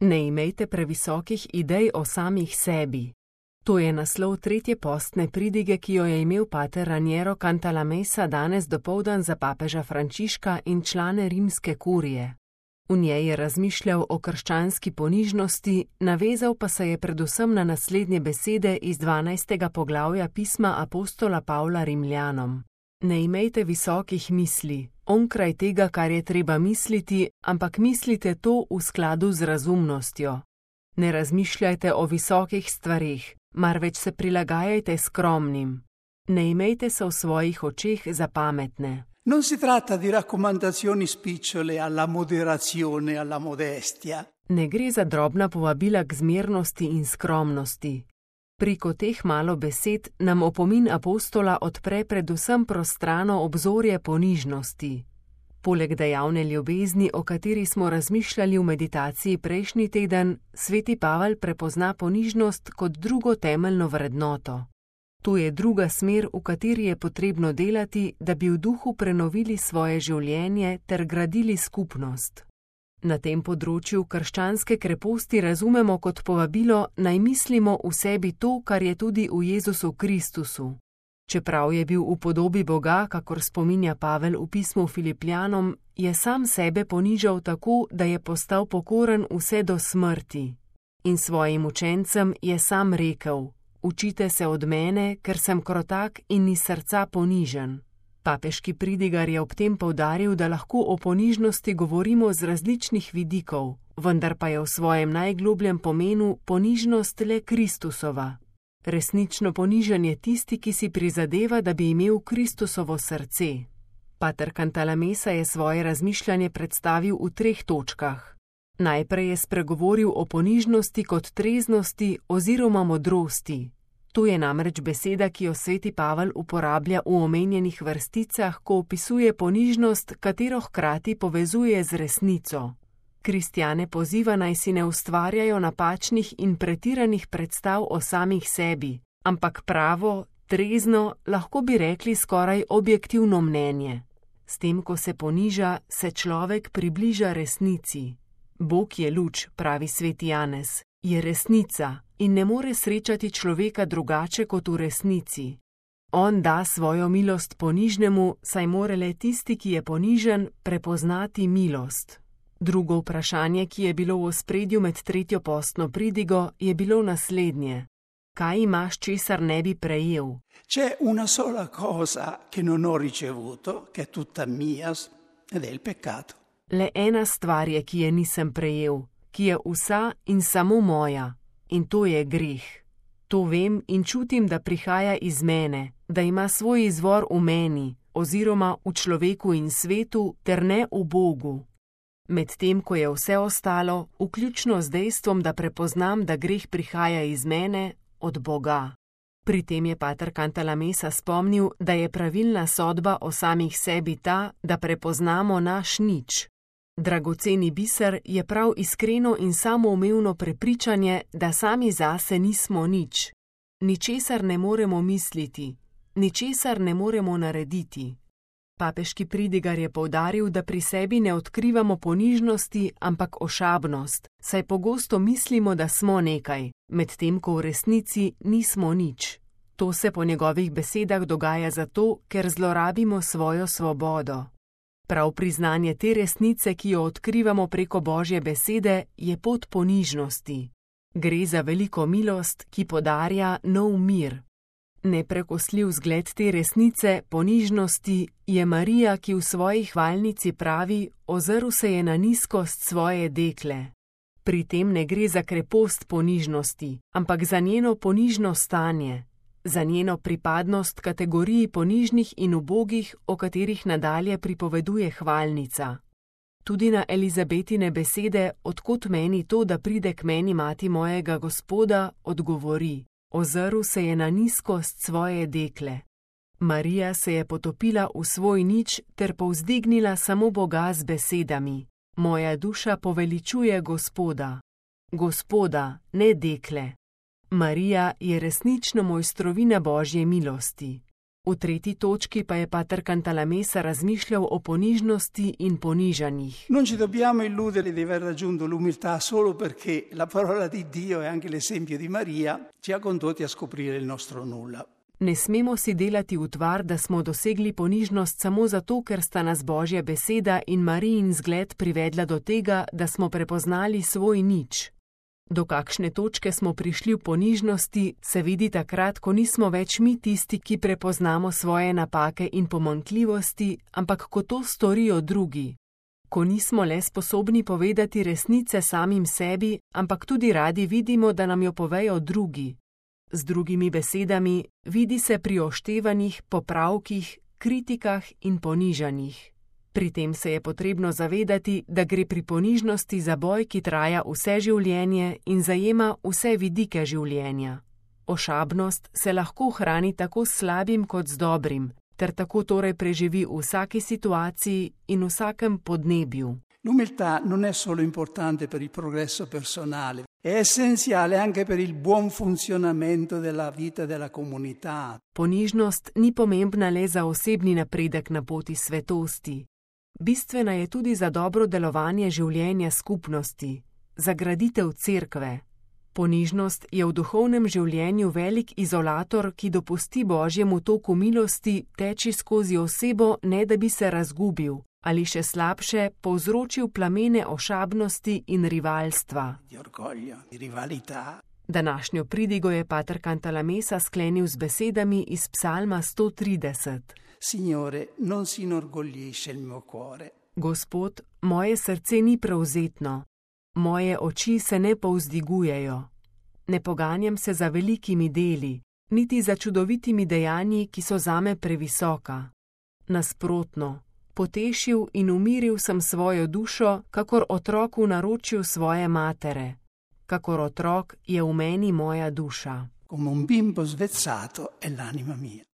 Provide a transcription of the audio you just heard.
Ne imejte previsokih idej o samih sebi. To je naslov tretje postne pridige, ki jo je imel pater Raniero Cantalamessa danes dopoldan za papeža Frančiška in člane rimske kurije. V njej je razmišljal o krščanski ponižnosti, navezal pa se je predvsem na naslednje besede iz 12. poglavja pisma apostola Pavla Rimljanom. Ne imejte visokih misli, onkraj tega, kar je treba misliti, ampak mislite to v skladu z razumnostjo. Ne razmišljajte o visokih stvareh, marveč se prilagajajte skromnim. Ne imejte se v svojih očeh za pametne. Non si tratta di raccomandazioni spicciole alla moderazione, alla modestia. Ne gre za drobna povabila k zmernosti in skromnosti. Preko teh malo besed nam opomin apostola odpre predvsem prostrano obzorje ponižnosti. Poleg dejavne ljubezni, o kateri smo razmišljali v meditaciji prejšnji teden, sveti Pavel prepozna ponižnost kot drugo temeljno vrednoto. To je druga smer, v kateri je potrebno delati, da bi v duhu prenovili svoje življenje ter gradili skupnost. Na tem področju krščanske kreposti razumemo kot povabilo, naj mislimo v sebi to, kar je tudi v Jezusu Kristusu. Čeprav je bil v podobi Boga, kakor spominja Pavel v pismu Filipljanom, je sam sebe ponižal tako, da je postal pokoren vse do smrti. In svojim učencem je sam rekel: Učite se od mene, ker sem krotak in iz srca ponižen. Papeški pridigar je ob tem poudaril, da lahko o ponižnosti govorimo z različnih vidikov, vendar pa je v svojem najglobljem pomenu ponižnost le Kristusova. Resnično ponižen je tisti, ki si prizadeva, da bi imel Kristusovo srce. Pater Cantalamessa je svoje razmišljanje predstavil v 3 točkah. Najprej je spregovoril o ponižnosti kot treznosti oziroma modrosti. To je namreč beseda, ki jo sveti Pavel uporablja v omenjenih vrsticah, ko opisuje ponižnost, katero hkrati povezuje z resnico. Kristjane poziva, naj si ne ustvarjajo napačnih in pretiranih predstav o samih sebi, ampak pravo, trezno, lahko bi rekli skoraj objektivno mnenje. S tem, ko se poniža, se človek približa resnici. Bog je luč, pravi sveti Janez, je resnica in ne more srečati človeka drugače kot v resnici. On da svojo milost ponižnemu, saj more le tisti, ki je ponižen, prepoznati milost. Drugo vprašanje, ki je bilo v ospredju med tretjo postno pridigo, je bilo naslednje: kaj imaš, česar ne bi prejel? C'è una sola cosa che non ho ricevuto, che è tutta mia, ed è il peccato. Le ena stvar je, ki je nisem prejel, ki je vsa in samo moja, in to je greh. To vem in čutim, da prihaja iz mene, da ima svoj izvor v meni, oziroma v človeku in svetu, ter ne v Bogu. Medtem ko je vse ostalo, vključno z dejstvom, da prepoznam, da greh prihaja iz mene, od Boga. Pri tem je pater Cantalamessa spomnil, da je pravilna sodba o samih sebi ta, da prepoznamo naš nič. Dragoceni biser je prav iskreno in samoumevno prepričanje, da sami zase nismo nič. Ničesar ne moremo misliti, ničesar ne moremo narediti. Papeški pridigar je poudaril, da pri sebi ne odkrivamo ponižnosti, ampak ošabnost, saj pogosto mislimo, da smo nekaj, medtem ko v resnici nismo nič. To se po njegovih besedah dogaja zato, ker zlorabimo svojo svobodo. Prav priznanje te resnice, ki jo odkrivamo preko Božje besede, je pot ponižnosti. Gre za veliko milost, ki podarja nov mir. Neprekosljiv zgled te resnice, ponižnosti, je Marija, ki v svoji hvalnici pravi: ozrl se je na nizkost svoje dekle. Pri tem ne gre za krepost ponižnosti, ampak za njeno ponižno stanje, za njeno pripadnost kategoriji ponižnih in ubogih, o katerih nadalje pripoveduje hvalnica. Tudi na Elizabetine besede, odkot meni to, da pride k meni mati mojega Gospoda, odgovori: ozrl se je na nizkost svoje dekle. Marija se je potopila v svoj nič ter povzdignila samo Boga z besedami: moja duša poveličuje Gospoda. Gospoda, ne dekle. Marija je resnično mojstrovina Božje milosti. V tretji točki pa je pater Cantalamessa razmišljal o ponižnosti in ponižanjih. Non ci dobbiamo illudere di aver raggiunto l'umiltà solo perché la parola di Dio e anche l'esempio di Maria ci ha condotti a scoprire il nostro nulla. Ne smemo si delati utvar, da smo dosegli ponižnost samo zato, ker sta nas Božja beseda in Marijin zgled privedla do tega, da smo prepoznali svoj nič. Do kakšne točke smo prišli v ponižnosti, se vidi takrat, ko nismo več mi tisti, ki prepoznamo svoje napake in pomanjkljivosti, ampak ko to storijo drugi. Ko nismo le sposobni povedati resnice samim sebi, ampak tudi radi vidimo, da nam jo povejo drugi. Z drugimi besedami, vidi se pri oštevanjih, popravkih, kritikah in ponižanjih. Pri tem se je potrebno zavedati, da gre pri ponižnosti za boj, ki traja vse življenje in zajema vse vidike življenja. Ošabnost se lahko hrani tako s slabim kot z dobrim, ter tako torej preživi v vsaki situaciji in vsakem podnebju. L'umiltà non è solo importante per il progresso personale, è essenziale anche per il buon funzionamento della vita della comunità. Ponižnost ni pomembna le za osebni napredek na poti svetosti. Bistvena je tudi za dobro delovanje življenja skupnosti, za graditev cerkve. Ponižnost je v duhovnem življenju velik izolator, ki dopusti Božjemu toku milosti teči skozi osebo, ne da bi se razgubil, ali še slabše, povzročil plamene ošabnosti in rivalstva. Današnjo pridigo je pater Cantalamessa sklenil z besedami iz Psalma 130. Signore, non si inorgoglisce il mio cuore. Gospod, moje srce ni prevzetno, moje oči se ne povzdigujejo. Ne poganjam se za velikimi deli, niti za čudovitimi dejanji, ki so zame previsoka. Nasprotno, potešil in umiril sem svojo dušo, kakor otrok v naročju svoje matere. Kakor otrok je v meni moja duša. Come un bimbo svezzato è l'anima mia.